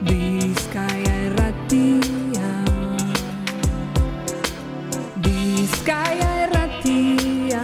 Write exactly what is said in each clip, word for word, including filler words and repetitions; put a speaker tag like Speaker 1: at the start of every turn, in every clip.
Speaker 1: Bizkaia Irratia, Bizkaia Irratia.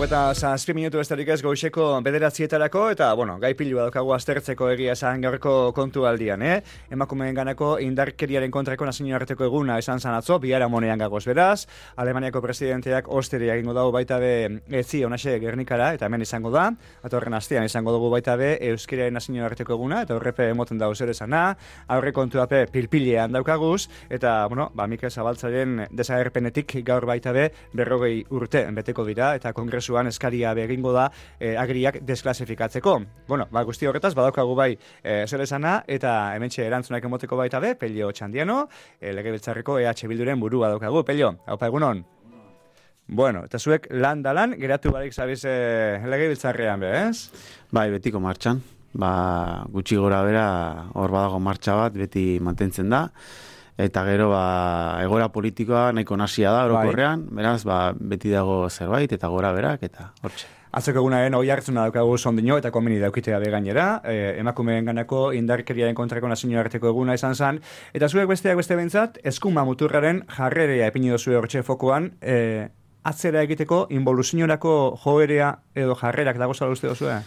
Speaker 2: Eta zazpi minutu besterik ez goizeko bederatzietarako, eta, bueno, gai pilua daukagu aztertzeko egia esan gaurko kontu aldian, eh? Emakumeen ganako indarkeriaren kontrako nazioarteko eguna esan zan atzo, bihara monean gagoz beraz, Alemaniako presidenteak osteria egingo dago baita be etzi onaxe Gernikara, eta hemen izango da, eta horren astean izango dugu baita be euskeriaren nazioarteko eguna, eta horrepe emoten dago zer esana, aurre kontuape pilpilean daukaguz, eta, bueno, ba, Mikel Zabaltzaren desagerpenetik gaur baita be berrogei urte beteko dira, eta kongresu eskaria begingo da eh, agriak desklasifikatzeko. Bueno, ba, guzti horretaz, badaukagu bai eh, zer esana, eta hementxe erantzunak emoteko baita be, Pello Txandiano, eh, Legebiltzarreko E H Bilduren burua daukagu. Pello, haupa egunon? Bueno, eta zuek lan da lan, geratu barik zabiz eh, Legebiltzarrean be, ez?
Speaker 3: Bai, betiko martxan. Ba, gutxi gora bera, hor badago martxa bat, beti mantentzen da. Eta gero, ba, egoera politikoa nahiko nasia da, orokorrean, bai. Beraz, ba, beti dago zerbait, eta gora berak, eta hortxe.
Speaker 2: Atzeko egunaren hoi hartzuna daukagu sondino, eta komeni daukitea begainera, e, emakumeen ganako indarkeriaren kontrako nazioarteko eguna izan zen, eta zuek besteak beste bentzat, eskuma muturraren jarrerea epini dozue hortxe fokoan, e, atzera egiteko, involuzionerako joerea edo jarrerak dago zala uste dozue?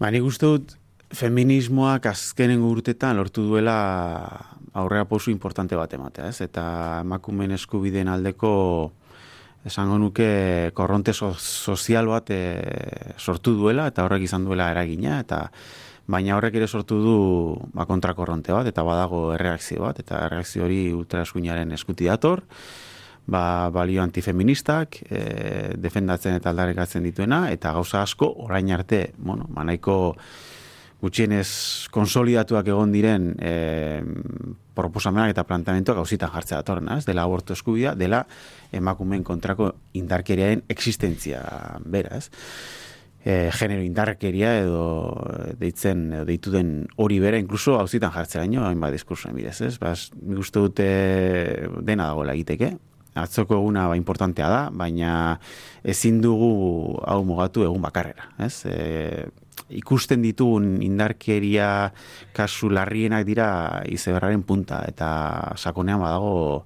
Speaker 3: Ba, nik uste dut, feminismoak azkenengo urtetan lortu duela aurrera pausu importante bat ematea, ez? Eta emakumeen eskubideen aldeko esango nuke korronte so, sozial bat e, sortu duela, eta horrek izan duela eragina, eta baina horrek ere sortu du ba, kontrakorronte bat, eta badago erreakzio bat, eta erreakzio hori ultraeskuinaren eskuti dator, ba, balio antifeministak e, defendatzen eta aldarrikatzen dituena, eta gauza asko orain arte, bueno, manaiko gutxienez konsolidatuak egon diren e, proposamenak eta planteamentuak gauzitan jartzea datorren, ez? Dela abortu eskubidea, dela emakumeen kontrako indarkeriaren existentzia bera, ez? E, genero indarkeria edo deitzen, edo deitu den hori bera, inkluso gauzitan jartzeraino, hainbat diskursoen bidez, ez? Baz, nik uste dute dena dagoela egiteke. Atzoko eguna ba, importantea da, baina ezin dugu hau mugatu egun bakarrera, ez? E, ikusten ditugun indarkeria kasu larrienak dira izeberraren punta, eta sakonean badago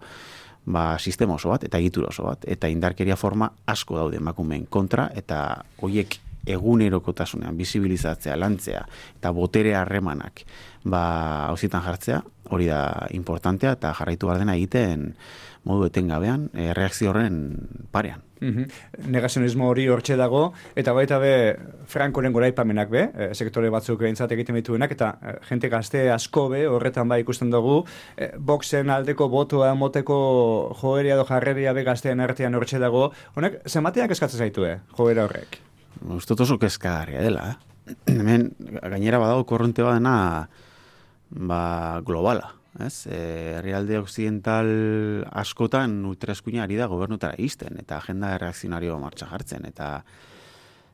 Speaker 3: ba, sistema oso bat, eta egitura oso bat, eta indarkeria forma asko daude emakumeen kontra, eta hoiek egunerokotasunean bizibilizatzea, lantzea, eta botere harremanak ba, hauzitan jartzea, hori da importantea, eta jarraitu behar dena egiten modu etengabean, e, reakzio horren parean.
Speaker 2: Mm-hmm. Negazionismo hori hortxe dago, eta baita be Frankoren goraipamenak be, e, sektore batzuk behintzat egiten dituenak, eta e, jente gazte asko be, horretan bai ikusten dugu, e, boxen aldeko botoa moteko joeria edo jarreria be gaztean artean hortxe dago, honek, zenbateak eskatzen zaitue, joera horrek?
Speaker 3: Ustot oso kezkagarria dela, eh? Hemen, gainera badago korronte badena, ba, globala. Ez? Herrialde occidental askotan ultraeskuina ari da gobernutara izten, eta agenda reakzionario martxa jartzen, eta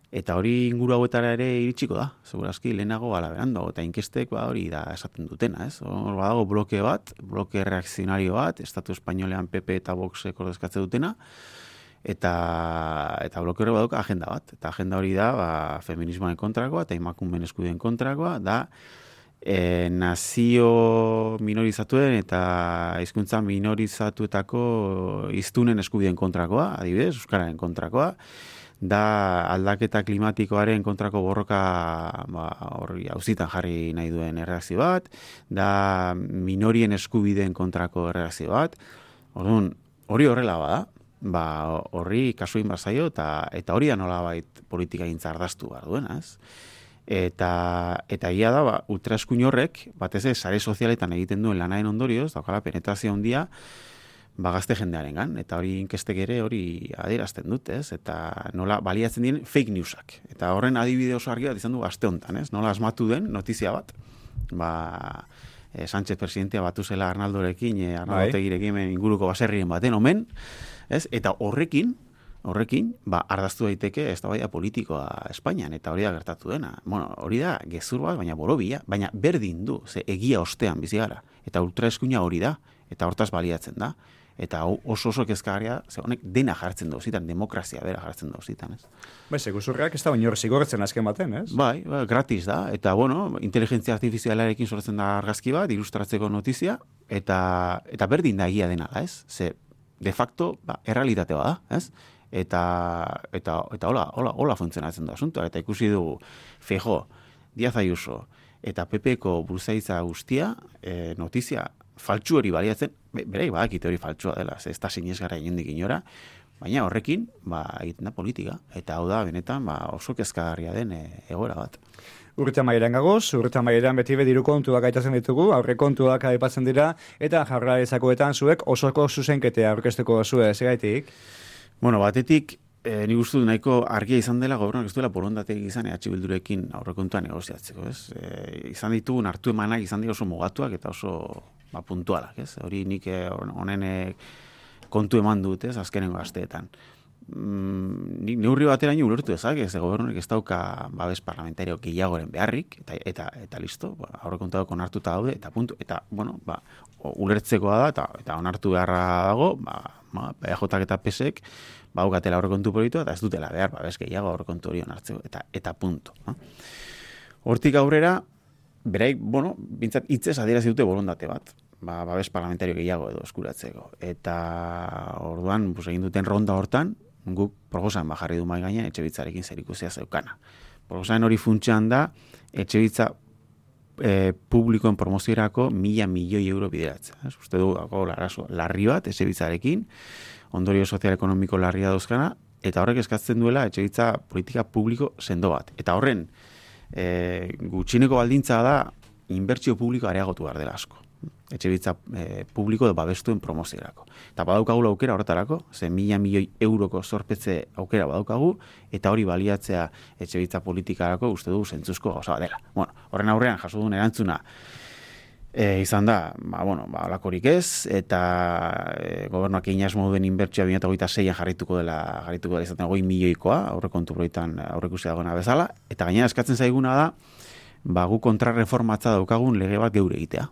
Speaker 3: eta hori inguru hauetara ere iritsiko da, segurazki lehenago galaberan dago, eta inkestek ba, hori da esaten dutena, ez? Hor badago bloke bat, bloke reakzionario bat, Estatu Espainolean P P eta Voxek ordezkatze dutena, eta eta bloke hori badauka agenda bat, eta agenda hori da ba, feminismoaren kontrakoa, eta emakumeen eskubideen kontrakoa, da E, nazio minorizatuen eta hizkuntza minorizatuetako hiztunen eskubideen kontrakoa, adibidez, euskararen kontrakoa, da aldaketa klimatikoaren kontrako borroka ba, horri auzitan jarri nahi duen erreakzio bat, da minorien eskubideen kontrako erreakzio bat, orduan, hori horrela bada, ba, horri kasuin bazaio, eta, eta hori da nolabait politika gintza ardaztu behar duena, ez? Eta eta ia da ba, ultraeskuin horrek batez ere sare sozialetan egiten duen lanaren ondorioz daukala penetrazio handia ba gazte jendearengan, eta hori inkestek ere hori adierazten dute, ez? Eta nola baliatzen diren fake newsak. Eta horren adibide oso argi bat izan du aste honetan, ez? Nola asmatu den notizia bat. Ba eh, Sánchez presidentea batu zela Arnaldorekin, eh, Arnaldo Otegirekin inguruko baserrien baten omen, ez? Eta horrekin Horrekin, ba, ardaztu daiteke eztabaida politikoa Espainian, eta hori da gertatu dena. Bueno, hori da gezur bat, baina borobila, baina berdin du, ze egia ostean bizi gara, eta ultraeskuina hori da, eta hortaz baliatzen da. Eta oso oso kezkagarria, ze honek dena jartzen dauzitan, demokrazia bera jartzen dauzitan, ez?
Speaker 2: Bai, seguzurrak ez da inor zigortzen azken baten, ez?
Speaker 3: Bai, bai, gratis da, eta bueno, inteligentzia artifizialarekin sortzen da argazki bat, ilustratzeko notizia, eta, eta berdin da egia dena, ez? Ze, de facto, ba, errealitate bada, ez? Eta, eta, eta hola, hola, hola funtzionatzen da asuntoa, eta ikusi dugu, Feijóo, Díaz Ayuso, eta P Pko buruzaitza guztia, e, notizia faltsu hori baliatzen, berai badakite hori faltsua dela, ez da sinesgarria inondik inora, baina horrekin, ba, egiten da politika, eta hau da, benetan, ba, oso kezkagarria den e, egoera bat.
Speaker 2: Urte amaieran gagoz, urte amaieran beti be diru kontuak aitatzen ditugu, aurre kontuak aipatzen dira, eta Jaurlaritzakoetan zuek osoko zuzenketea aurkeztuko zue, segaitik?
Speaker 3: Bueno, batetik, E, ni gustu nahiko argia izan dela gobernuak ez duela borondaterik izan E H Bildurekin aurrekontua negoziatzeko, ez? E, izan ditugun hartu emanak izan dira oso mugatuak eta oso ba, puntualak, ez? Hori nik honen e, kontu eman dut, ez? Azkenengo asteetan. Mm, nik neurri bateraino ulertu ezak, ez gobernuak ez dauka babes parlamentario gehiagoren beharrik, eta, eta, eta listo, ba, aurrekontua onartuta daude, eta puntu, eta, bueno, ba, ulertzekoa da, eta, eta onartu beharra dago, ba, ba, E J eta P S ek, ba, aukatela aurrekontu politua, eta ez dutela behar, ba, bez gehiago aurrekontu hori onartzeko, eta, eta punto. No? Hortik aurrera, beraik, bueno, bintzat hitzez adierazi dute borondate bat, ba, babes parlamentario gehiago edo eskuratzeko. Eta orduan, bus, egin duten ronda hortan, guk proposan bajarri du mai gainean Etxebitzarekin zerikusia zeukana. Proposan hori funtsean da, Etxebitza e, publikoen promoziorako mila milioi euro bideratzea. Ez? Uste du, larazo, larri bat Etxebitzarekin, ondorio sozial-ekonomiko larria dauzkana, eta horrek eskatzen duela etxebitza politika publiko sendo bat. Eta horren, e, gutxineko baldintza da, inbertsio publiko areagotu behar dela asko. Etxebitza e, publiko edo babestuen promoziorako. Eta badaukagula aukera horretarako, ze mila milioi euroko zorpetze aukera badaukagu, eta hori baliatzea etxebitza politikarako uste du zentzuzko gauza dela. Bueno, horren aurrean jaso duen erantzuna, E, izan da, ba, bueno, ba, olakorik ez, eta e, gobernuak egin asmo duen inbertsioa bi mila hogeita seian jarrituko dela, jarrituko dela izaten hogei milioikoa, aurrekontu proietan aurrekusi dagoena bezala, eta gainera eskatzen zaiguna da, ba, gu kontrarreformatza daukagun lege bat geure egitea.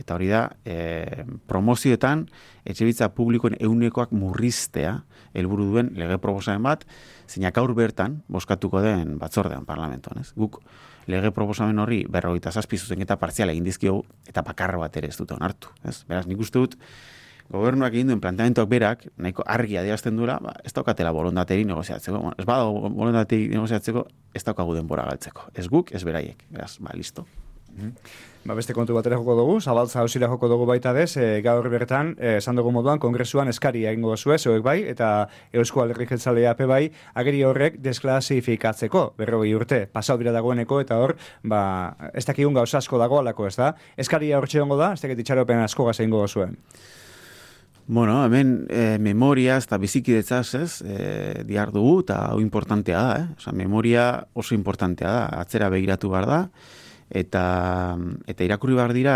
Speaker 3: Eta hori da, e, promozioetan, etxebitza publikoen eunekoak murriztea, helburu duen lege proposamen bat, zeinak aur bertan, boskatuko den batzordean parlamentoan, ez? Guk, lege proposamen horri berrogeita zazpi zuzenketa partziala egin dizkiogu eta bakarra bat ere ez dute onartu. Ez? Beraz, nik uste dut, gobernuak egin duen planteamentuak berak, nahiko argi adierazten duela, ba, ez daukatela borondateri negoziatzeko. Bueno, ez badago borondateri negoziatzeko, ez daukagu denbora galtzeko. Ez guk, ez beraiek. Beraz, ba, listo.
Speaker 2: Mm-hmm. Ba, beste kontu batera joko dugu, Zabaltza hausira joko dugu baita dez, e, gaur bertan, esan dugu moduan, kongresuan eskaria egingo zuen, zeuek bai, eta Eusko Alderdi Jeltzalea pe bai, ageri horrek desklasifikatzeko, berrogei urte, pasau dira dagoeneko, eta hor, ba, ez dakigun gauza asko dagoalako, ez da? Eskaria hortxe hongo da, ez dakit itxaropen asko gaz egingo zuen.
Speaker 3: Bueno, hemen e, memoria eta bizikidetzaz, ez, e, diar dugu, eta hau importantea da, eh? Osa, memoria oso importantea da, atzera begiratu behar da, eta eta irakurri behar dira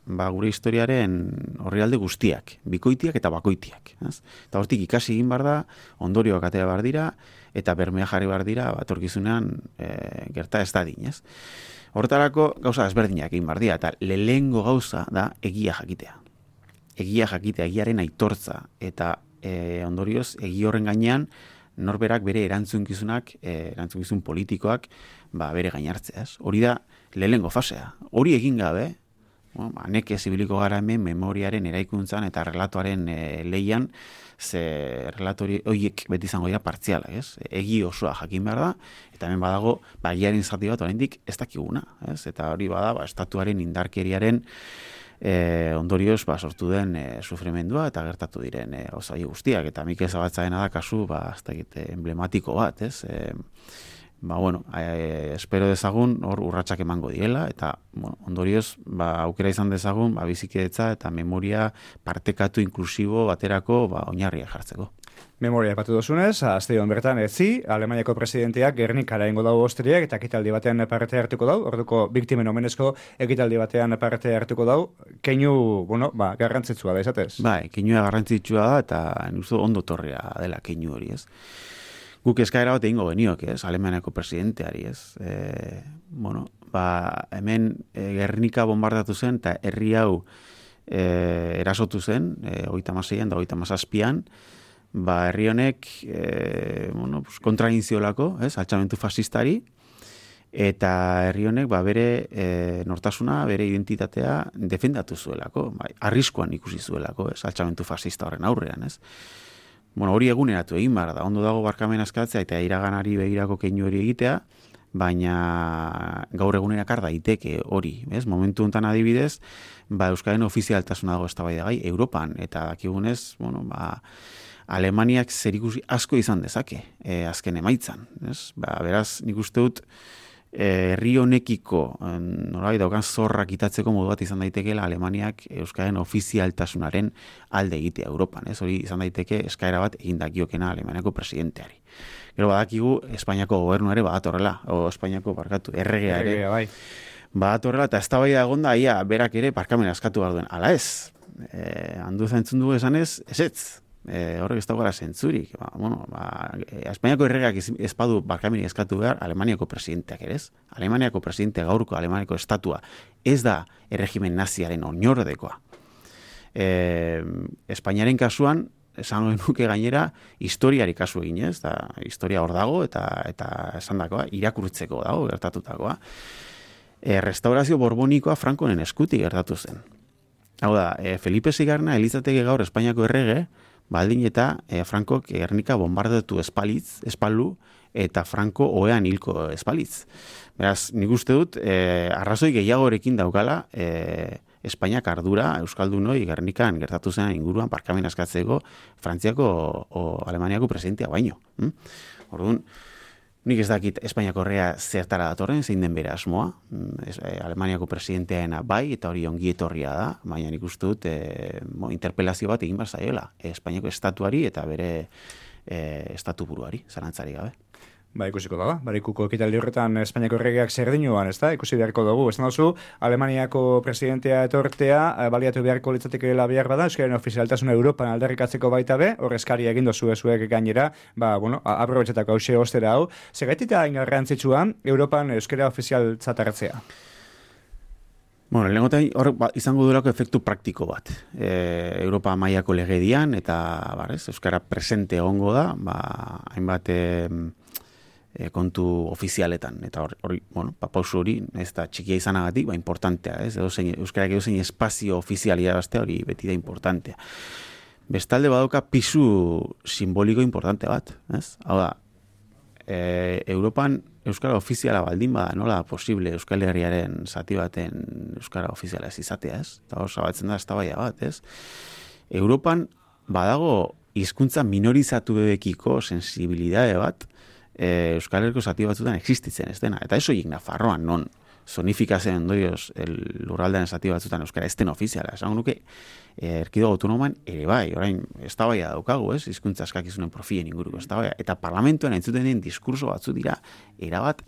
Speaker 3: ba, gure historiaren orrialde guztiak, bikoitiak eta bakoitiak. Ez? Eta hortik ikasi egin behar da, ondorioak atera behar dira, eta bermea jarri behar dira, batorkizunean e, gerta ez dadin. Ez? Hortarako gauza ezberdinak egin behar dira, eta lehengo gauza da egia jakitea. Egia jakitea, egiaren aitortza, eta e, ondorioz, egi horren gainean, norberak bere erantzunkizunak, e, erantzunkizun politikoak, ba, bere gainartzea. Hori da, lehengo fasea. Hori egin gabe, bueno, ba, nekez ibiliko gara hemen memoriaren eraikuntzan eta relatoaren e, leian, ze relatori horiek beti izango dira partziala, ez? Egi osoa jakin behar da, eta hemen badago, ba, egiaren zati bat oraindik ez dakiguna, ez? Eta hori bada, ba, estatuaren indarkeriaren e, ondorioz, ba, sortu den e, sufrimendua eta gertatu diren e, osai guztiak, eta Mikel Zabaltzaena da kasu, ba, ez dakit, emblematiko bat, ez? E, Ba, bueno, e, espero dezagun hor urratsak emango direla, eta bueno, ondorioz ba, aukera izan dezagun ba, bizikidetza eta memoria partekatu inklusibo baterako ba, oinarria jartzeko.
Speaker 2: Memoria epatu dozunez, azte hon bertan etzi, Alemaniako presidenteak Gernikara ingo dago osteriak eta ekitaldi batean parte hartuko dau, orduko biktimen omenezko ekitaldi batean parte hartuko dau, keinu, bueno, ba, garrantzitsua da izatez?
Speaker 3: Bai, keinua garrantzitsua da, eta nuzu ondo torria dela keinu hori, ez? Guk eskaera bat egingo benioak, ez, Alemaniako presidenteari, ez. E, bueno, ba, hemen e, Gernika bombardatu zen, eta herri hau e, erasotu zen, e, hogeita hamaseian da hogeita hamazazpian, ba, herri honek e, bueno, pues, kontra egin ziolako, ez, altxamentu fasistari, eta herri honek ba, bere e, nortasuna, bere identitatea defendatu zuelako, bai, arriskuan ikusi zuelako, ez, altxamentu fascista horren aurrean, ez. Bueno, hori eguneratu egin behar da, ondo dago barkamena eskatzea eta iraganari begirako keinu hori egitea, baina gaur egunerak ar daiteke hori, ez? Momentu honetan adibidez, ba, Euskaren ofizialtasuna dago eztabaidagai Europan, eta dakigunez, bueno, ba, Alemaniak zerikusi asko izan dezake, e, azken emaitzan, ez? Ba, beraz, nik uste dut, herri honekiko nolabait daukan zorrak itatzeko modu bat izan daitekeela Alemaniak Euskaren ofizialtasunaren alde egitea Europan, ez? Hori izan daiteke eskaera bat egin dakiokena Alemaniako presidenteari. Gero badakigu Espainiako gobernuare badatorrela, o Espainiako barkatu, erregea ere.
Speaker 2: Erregea, bai.
Speaker 3: Badatorrela eta eztabaida egonda ia berak ere barkamena eskatu behar duen. Ala ez, e, handu zaintzun dugu esanez, ezetz. E, horrek ez dagoela zentzurik. Ba, bueno, ba, Espainiako erregeak ezpadu barkamenik eskatu behar Alemaniako presidenteak ere ez. Alemaniako presidente gaurko Alemaniako estatua ez da erregimen naziaren oinordekoa. E, Espainiaren kasuan, esan nuke gainera, historiari kasu egin ez, da, historia hor dago eta eta esandakoa irakurtzeko dago gertatutakoa. E, restaurazio borbonikoa Frankoren eskutik gertatu zen. Hau da, e, Felipe Seigarrena elitzateke gaur Espainiako errege, baldin eta e, Frankok Gernika bombardatu espalitz, espaldu, eta Franko ohean hilko espalitz. Beraz, nik uste dut, e, arrazoi gehiagorekin daukala, e, Espainiak ardura Euskaldunoi Gernikan gertatu zen inguruan barkamena eskatzeko Frantziako o Alemaniako presidentea baino. Hm? Orduan, nik ez dakit Espainiako herria zertara datorren, zein den bere asmoa, es, eh, Alemaniako presidenteaena bai, eta hori ongi etorria da, baina nik uste dut eh, mo, interpelazio bat egin behar zaiola, eh, Espainiako estatuari eta bere eh, estatu buruari, zalantzari gabe.
Speaker 2: Ba, ikusiko da, barikuko ekitaldi horretan Espainiako erregeak zer dinuan, ez da? Ikusi beharko dugu. Ez duzu, Alemaniako presidentea etortea, baliatu beharko litzatekeela behar bada, Euskaren ofizialtasuna Europan aldarrikatzeko baita be, horrezkari egin dozu ezuek gainera, ba, bueno, aprobetxetako hause ostera hau. Segaitita ingarrantzitsua, Europan Euskara ofizialtzat hartzea?
Speaker 3: Bueno, lehengotan hor ba, izango durako efektu praktiko bat. E, Europa mailako legedian, eta barrez, Euskara presente egongo da, ba, hainbat... E, E, kontu ofizialetan, eta hori, hori bueno, pa, pausu hori, ez da txikia izanagatik, ba, importantea, ez, edo zein, Euskarak edo zein espazio ofizialia bastea, hori beti da importantea. Bestalde badauka pisu simboliko importante bat, ez? Hau da, e, Europan Euskara ofiziala baldin bada, nola posible Euskal Herriaren zati baten Euskara ofiziala ez izatea, ez? Eta hor zabatzen da eztabaida bat, ez? Europan badago hizkuntza minorizatuekiko sensibilidade bat, E, Euskal Herriko zati batzutan existitzen ez dena. Eta eso hik Nafarroan, non zonifikazen ondorioz lurraldean zati batzutan Euskara ez den ofiziala. Esan nuke, erkidogo autonoman ere bai, orain eztabaida daukagu, ez? Hizkuntza eskakizunen profilen inguruko eztabaida. Eta parlamentoan entzuten den diskurso batzu dira erabat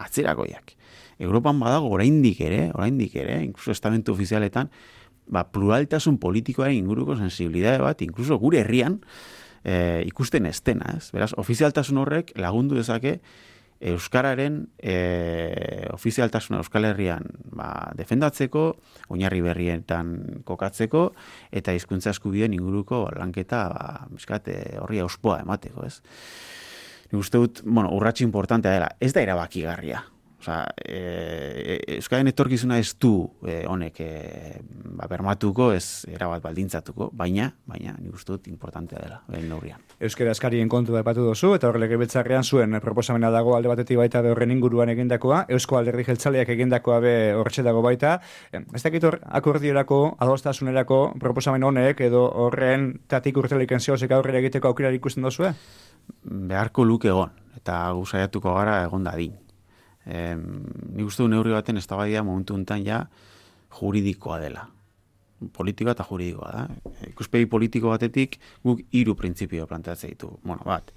Speaker 3: atzerakoiak. Europan badago oraindik ere, oraindik ere, inkluso estamentu ofizialetan, ba, pluraltasun politikoaren inguruko sensibilidade bat, inkluso gure herrian, E, ikusten ez dena, ez? Beraz, ofizialtasun horrek lagundu dezake Euskararen e, ofizialtasuna Euskal Herrian ba, defendatzeko, oinarri berrietan kokatzeko, eta hizkuntza eskubideen inguruko lanketa ba, miskat, e, horri auspoa emateko, ez? Nik uste dut, bueno, urratxe importantea dela, ez da erabakigarria. Osa, e, Euskaren etorkizuna ez du e, honek e, ba, bermatuko, ez erabat baldintzatuko, baina, baina nik uste dut importantea dela, behin neurrian.
Speaker 2: Euskara eskarien kontu da epatu dozu, eta horrek legebiltzarrean zuen proposamena dago alde batetik baita be horren inguruan egindakoa, Eusko Alderdi Jeltzaleak egindakoa be hortxe dago baita. Ez dakit hor akordiorako, adostasunerako proposamen honek, edo horren tatik urteliken zeozek aurrera egiteko aukera ikusten dozue?
Speaker 3: Beharko luke egon, eta guzaiatuko gara egon dadin. Eh, nik uste du neurri baten eztabaida momentu honetan ja juridikoa dela. Politikoa eta juridikoa da. Ikuspegi politiko batetik guk hiru printzipio planteatzen ditu. Bueno, bat,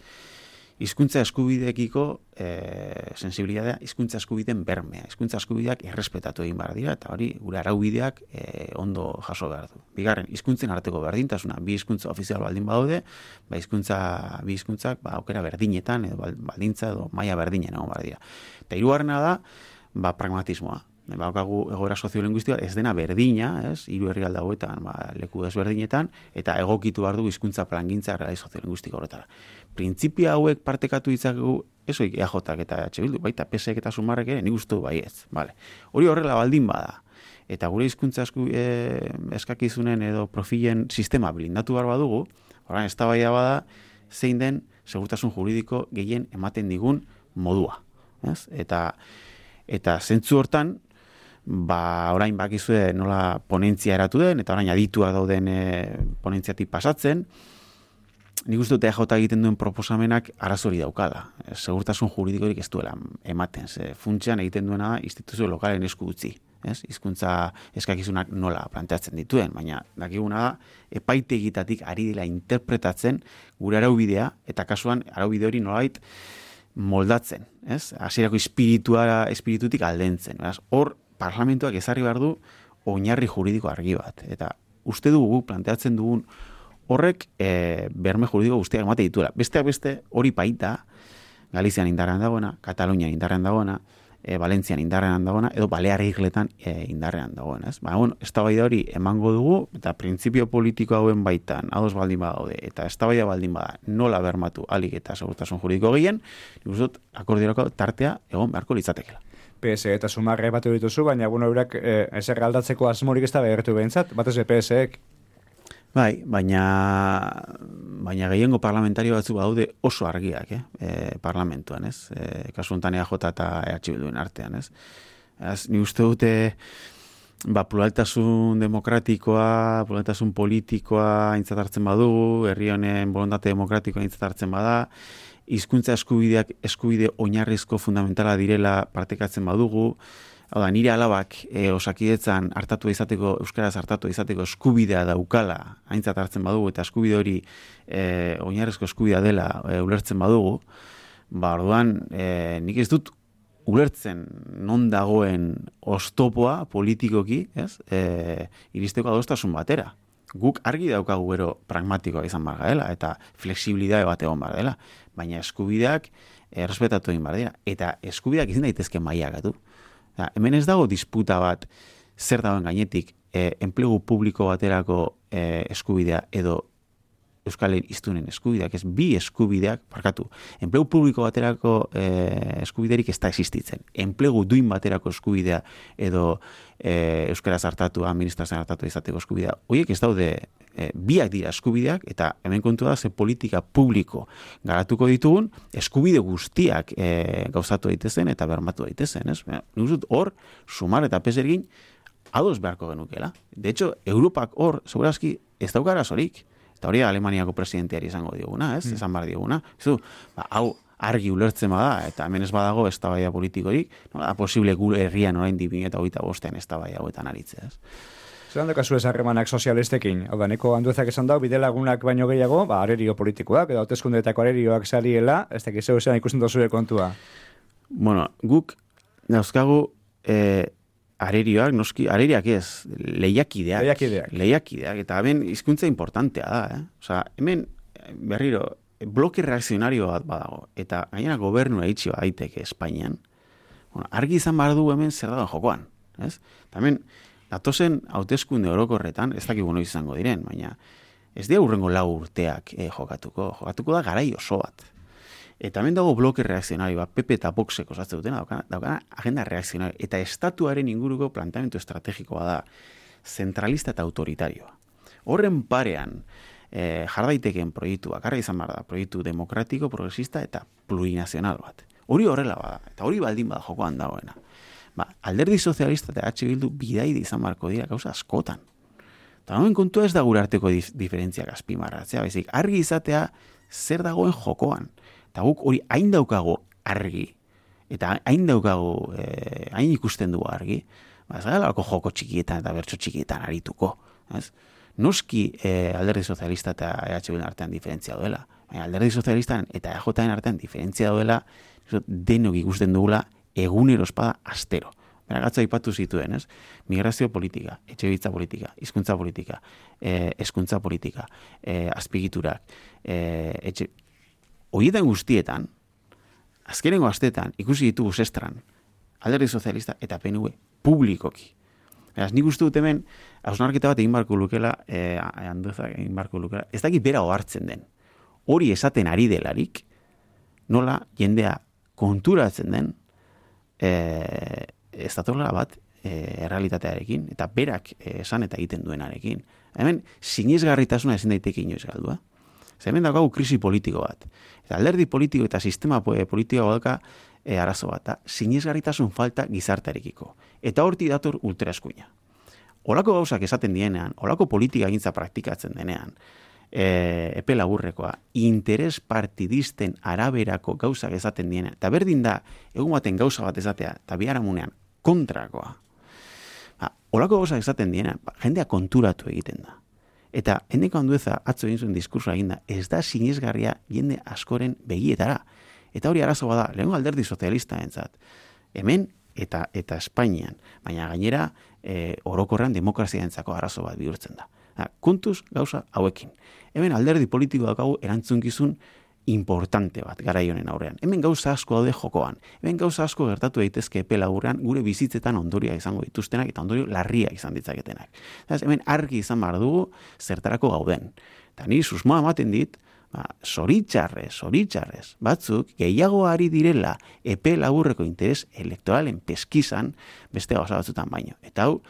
Speaker 3: hizkuntza eskubideekiko eh, sensibilitatea, hizkuntza eskubideen bermea, hizkuntza eskubideak errespetatu egin behar dira, eta hori gure araubideak eh, ondo jaso behar du. Bigarren, hizkuntzen arteko berdintasuna, bi hizkuntza ofizial baldin badaude, ba hizkuntza, bi hizkuntzak ba aukera berdinetan edo baldintza edo maila berdinen egon behar dira. Eta hirugarrena da, ba pragmatismoa. Baukagu egoera soziolinguistikoa ez dena berdina, ez? Hiru herrialde hauetan, ba, leku desberdinetan, eta egokitu behar du hizkuntza plangintza errealitate soziolinguistiko horretara. Printzipio hauek partekatu ditzakegu, ez oik E A Jak eta E H Bildu, baita P S ek eta Sumarrek ere, nik uste du baietz. Vale. Hori horrela baldin bada. Eta gure hizkuntza esku, e, eskakizunen edo profilen sistema blindatu behar badugu, orain eztabaida bada, zein den segurtasun juridiko gehien ematen digun modua. Ez? Eta, eta zentzu hortan, ba, orain bakizue nola ponentzia eratu den, eta orain adituak dauden e, ponentziatik pasatzen, nik uste dut E A J egiten duen proposamenak arazori daukala. Segurtasun juridikorik ez duela ematen. Ze funtsean egiten duena da instituzio lokalen esku utzi. Ez? Hizkuntza eskakizunak nola planteatzen dituen, baina dakiguna da epaitegitatik ari dela interpretatzen gure araubidea, eta kasuan araubide hori nolait moldatzen, ez? Hasierako espiritua, espiritutik aldentzen. Beraz, hor parlamentuak ezarri behar du oinarri juridiko argi bat. Eta uste dugu planteatzen dugun horrek e, berme juridiko guztiak emate dituela. Besteak beste hori baita Galizian indarrean dagoena, Katalunian indarrean dagoena, e, Valentzian indarrean dagoena, edo Balear Isletan e, indarrean dagoena. Ez? Ba, bueno, eztabaida hori emango dugu, eta printzipio politiko hauen baitan, ados baldin badaude, eta eztabaida baldin bada nola bermatu alik eta segurtasun juridiko gehien, nik uste dut akordiorako tartea egon beharko litzatekeela.
Speaker 2: P S eta Sumarre batu dituzu, baina bueno, eurak eh, ezer aldatzeko asmorik ez da behertu behintzat, batez P S ek.
Speaker 3: Bai, baina baina gehiengo parlamentario batzu badaude oso argiak, eh, e, parlamentuan, ez? E, kasu honetan E A J eta E H Bilduen artean, ez? Az, ni uste dute ba, pluraltasun demokratikoa, pluraltasun politikoa aintzat hartzen badugu, herri honen borondate demokratikoa aintzat hartzen bada, hizkuntza eskubideak eskubide oinarrizko fundamentala direla partekatzen badugu, hau da, nire alabak e, osakidetzan hartatu izateko, euskaraz hartatu izateko eskubidea daukala aintzat hartzen badugu, eta eskubide hori e, oinarrizko eskubidea dela e, ulertzen badugu, ba, orduan, e, nik ez dut ulertzen non dagoen oztopoa politikoki, ez? E, iristeko adostasun batera. Guk argi daukagu gero pragmatikoa izan behar dela, eta flexibilidade bat egon behar dela, baina eskubideak errespetatu egin behar dira, eta eskubideak izin daitezke mailakatu. Ja, hemen ez dago disputa bat zer dagoen gainetik e, enplegu publiko baterako e, eskubidea edo Euskal hiztunen eskubideak, ez bi eskubideak, barkatu, enplegu publiko baterako e, eskubiderik ez da existitzen. Enplegu duin baterako eskubidea edo e, euskaraz hartatu, administrazioan hartatu izateko eskubidea. Horiek ez daude, e, biak dira eskubideak, eta hemen kontu da ze politika publiko garatuko ditugun, eskubide guztiak e, gauzatu daitezen eta bermatu daitezen. Ez? Nuzut hor, Sumar eta P S ekin ados beharko genukela. De hecho, Europak hor, segurazki, ez daukara zorik. Eta hori Alemaniako presidenteari izango dioguna, ez? Mm. Esan bar dioguna. Zu, ba, hau argi ulertzen bada, eta hemen ez badago eztabaida politikorik, no da posible gure herrian orain bi mila hogeita bostean eztabaida hauetan aritzea, ez?
Speaker 2: Zeran dokazu ez harremanak sozialistekin? Hau da, neko Anduezak esan dau, bidelagunak baino gehiago, ba, arerio politikoak, edo hauteskundeetako arerioak sariela, ez dakit zeu zean ikusten dozure kontua.
Speaker 3: Bueno, guk dauzkagu eh, arerioak, noski, areriak ez, lehiakideak.
Speaker 2: Lehiakideak.
Speaker 3: Lehiakideak, eta hemen hizkuntza importantea da, eh? Osa, hemen, berriro, bloke reakzionario bat badago, eta gainera gobernua itxi daiteke Espainian, bueno, argi izan behar du hemen zer dagoen jokoan, ez? Eta hemen, datozen hauteskunde orokorretan, ez dakigu noiz izango diren, baina ez dira hurrengo lau urteak eh, jokatuko, jokatuko da garai oso bat. Eta hemen dago bloke reakzionario bat, P P eta Voxek osatzen dutena, daukana, daukana agenda reakzionario, eta estatuaren inguruko planteamendu estrategikoa da, zentralista eta autoritarioa. Horren parean, eh, jardaitekeen proiektu bakarra izan behar da, proiektu demokratiko, progresista eta plurinazional bat. Hori horrela bada, eta hori baldin bada jokoan dagoena. Ba, Alderdi Sozialista eta H Bildu bidaide izan beharko dira gauza askotan. Eta noen kontua ez da gure arteko dif diferentziak azpimarratzea, baizik, argi izatea zer dagoen jokoan. Eta guk hori hain daukago argi, eta hain daukago, eh, hain ikusten dugu argi, ba, ez galako joko txikietan eta bertso txikietan arituko. Ez? Noski eh, Alderdi Sozialista eta E H Bildu artean diferentzia duela. Baina Alderdi Sozialistan eta E Jaren artean diferentzia duela, denok ikusten dugula egunero espada astero. Bera gatza ipatu zituen, ez? Migrazio politika, etxebitza politika, hizkuntza politika, eh, hezkuntza politika, eh, azpigiturak, eh, etxe... Horietan guztietan, azkenengo astetan, ikusi ditugu zestran, Alderdi Sozialista eta P N V publikoki. Beraz, nik uste dut hemen, hausnarketa bat egin barko lukela, eh, Andueza egin barko lukela, ez dakit bera ohartzen den. Hori esaten ari delarik, nola jendea konturatzen den, eh, ez datorla bat, eh, errealitatearekin, eta berak eh, esan eta egiten duenarekin. Hemen, sinesgarritasuna ezin daiteke inoiz galdua. Hemen daukagu krisi politiko bat. Eta alderdi politiko eta sistema politiko dauka e, arazo bat. Da, sinesgarritasun falta gizartearekiko. Eta horti dator ultraeskuina. Olako gauzak esaten dienean, olako politika egintza praktikatzen denean, e, epe laburrekoa, interes partidisten araberako gauzak esaten dienean, eta berdin da, egun baten gauza bat esatea, eta biharamunean kontrakoa. Ba, olako gauzak esaten dienean, ba, jendea konturatu egiten da. Eta Eneko Andueza atzo egin zuen diskursoa eginda, ez da sinesgarria jende askoren begietara. Eta hori arazo bada, lehengo alderdi sozialista entzat. Hemen eta eta Espainian, baina gainera e, orokorrean demokrazia entzako arazo bat bihurtzen da. Ha, kontuz gauza hauekin. Hemen alderdi politiko daukagu erantzunkizun importante bat garai honen aurrean. Hemen gauza asko daude jokoan. Hemen gauza asko gertatu daitezke epe laburrean gure bizitzetan ondoria izango dituztenak eta ondorio larria izan ditzaketenak. Eta hemen argi izan behar dugu zertarako gauden. Eta ni susmoa ematen dit, ba, zoritxarrez, zoritxarrez, batzuk gehiago ari direla epe laburreko interes elektoralen peskizan beste gauza batzutan baino. Eta hau,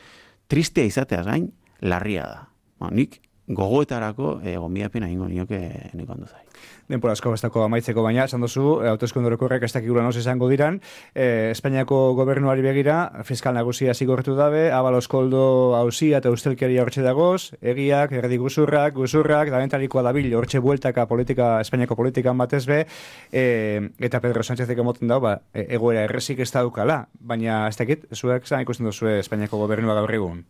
Speaker 3: tristea izateaz gain, larria da. Ba, nik gogoetarako e, gonbidapena egingo nioke Eneko Anduzai.
Speaker 2: Denpora asko bestako amaitzeko baina, esan dozu, hauteskunde orokorrak ez dakigula noz izango diran, e, Espainiako gobernuari begira, fiskal nagusia zigortu dabe, Abalos Koldo auzia eta ustelkeria hortxe dagoz, egiak, erdi guzurrak, guzurrak, da bentarikoa dabil, hortxe bueltaka politika, Espainiako politikan batez be, e, eta Pedro Sánchezek emoten dau, ba, e, egoera errezik ez daukala, baina ez dakit, zuek zan ikusten duzu Espainiako gobernua gaur egun?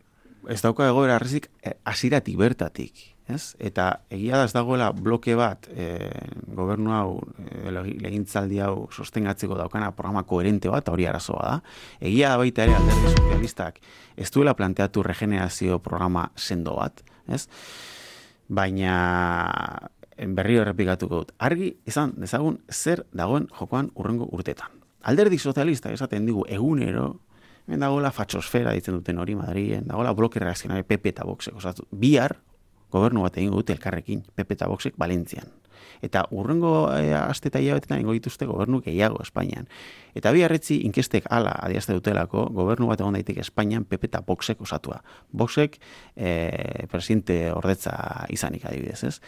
Speaker 3: Ez dauka egoera arrezik hasiratik bertatik, ez? Eta egia da ez dagoela bloke bat e, gobernu hau, e, legintzaldi hau sostengatzeko daukana programa koherente bat, hori arazoa da. Egia da baita ere alderdi sozialistak ez duela planteatu regenerazio programa sendo bat, ez? Baina berriro errepikatuko dut. Argi izan dezagun zer dagoen jokoan hurrengo urtetan. Alderdi sozialistak esaten digu egunero, hemen dagoela fatxosfera ditzen duten hori Madriden, dagoela bloke reakzionari P P eta Voxek osatu. Bihar, gobernu bat egingo dute elkarrekin, P P eta Voxek Valentzian. Eta urrengo e, aste eta hilabetetan egingo dituzte gobernu gehiago Espainian. Eta biharretzi inkestek hala adiazte dutelako, gobernu bat egon daiteke Espainian P P eta Voxek osatua. Voxek e, presidente ordetza izanik adibidez, ez?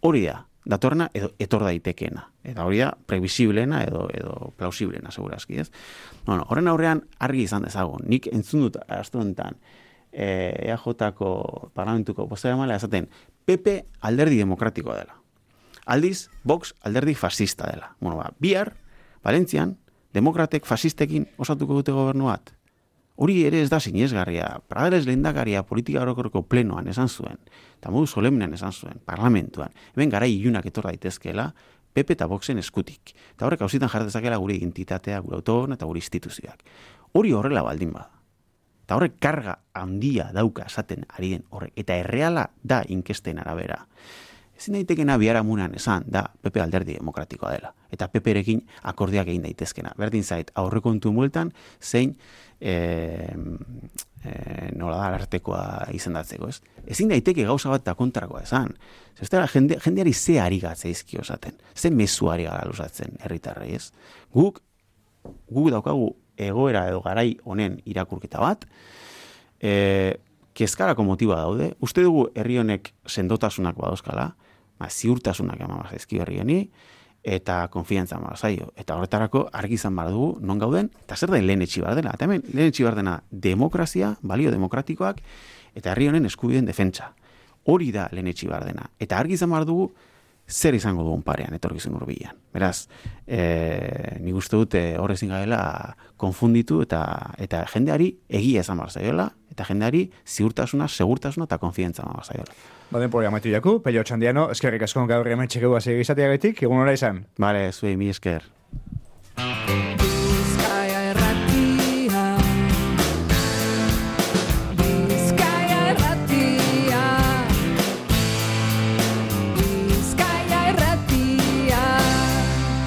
Speaker 3: Hori da, datorna edo etor daitekeena. Eta hori da, previsiblena edo, edo plausiblena, segurazki, ez? Bueno, horren aurrean argi izan dezagun. Nik entzun dut astu honetan e, E A Jko parlamentuko bozeramailea esaten P P alderdi demokratikoa dela. Aldiz, Vox alderdi fascista dela. Bueno, ba, bihar, Valentzian, demokratek fascistekin osatuko dute gobernu bat. Hori ere ez da sinesgarria. Prades lehendakaria politika orokorreko plenoan esan zuen, eta modu solemnean esan zuen, parlamentuan. Hemen garai ilunak etor daitezkeela, P P eta Voxen eskutik. Eta horrek hausitan jartezakela gure identitatea, gure autogobernua eta gure instituzioak. Hori horrela baldin bada. Eta horrek karga handia dauka esaten ari den horrek. Eta erreala da inkesten arabera. Ezin daitekena biharamunean esan da P P alderdi demokratikoa dela. Eta P P-rekin akordiak egin daitezkena. Berdin zait, aurrekontu mueltan zein e, e, nola da artekoa izendatzeko, ez? Ezin daiteke gauza bat eta kontrakoa esan. Zestera, jende, jendeari ze ari gatzaizkio esaten. Ze mezu ari gara luzatzen herritarrei, ez? Guk, guk daukagu egoera edo garai honen irakurketa bat, e, kezkarako motiba daude. Uste dugu herri honek sendotasunak badauzkala, ba, ziurtasunak eman zaizkio herri honi, eta konfiantza eman zaio. Eta horretarako argi izan behar dugu non gauden, eta zer da lehen etxi behar dela. Eta hemen lehen etxi behar dena demokrazia, balio demokratikoak, eta herri honen eskubideen defentsa. Hori da lehen etxi behar dena. Eta argi izan behar dugu zer izango dugun parean, etorkizun hurbilan. Beraz, e, nik uste dute horrezin gaela konfunditu eta eta jendeari egia esan behar zaiola, eta jendeari ziurtasuna, segurtasuna eta konfiantza behar zaiola.
Speaker 2: Baden por amaitu jaku, Pello Txandiano, eskerrik asko gaur hemen txekegu hasi egizateagatik, egun hora izan.
Speaker 3: Bale, zuei, mi esker.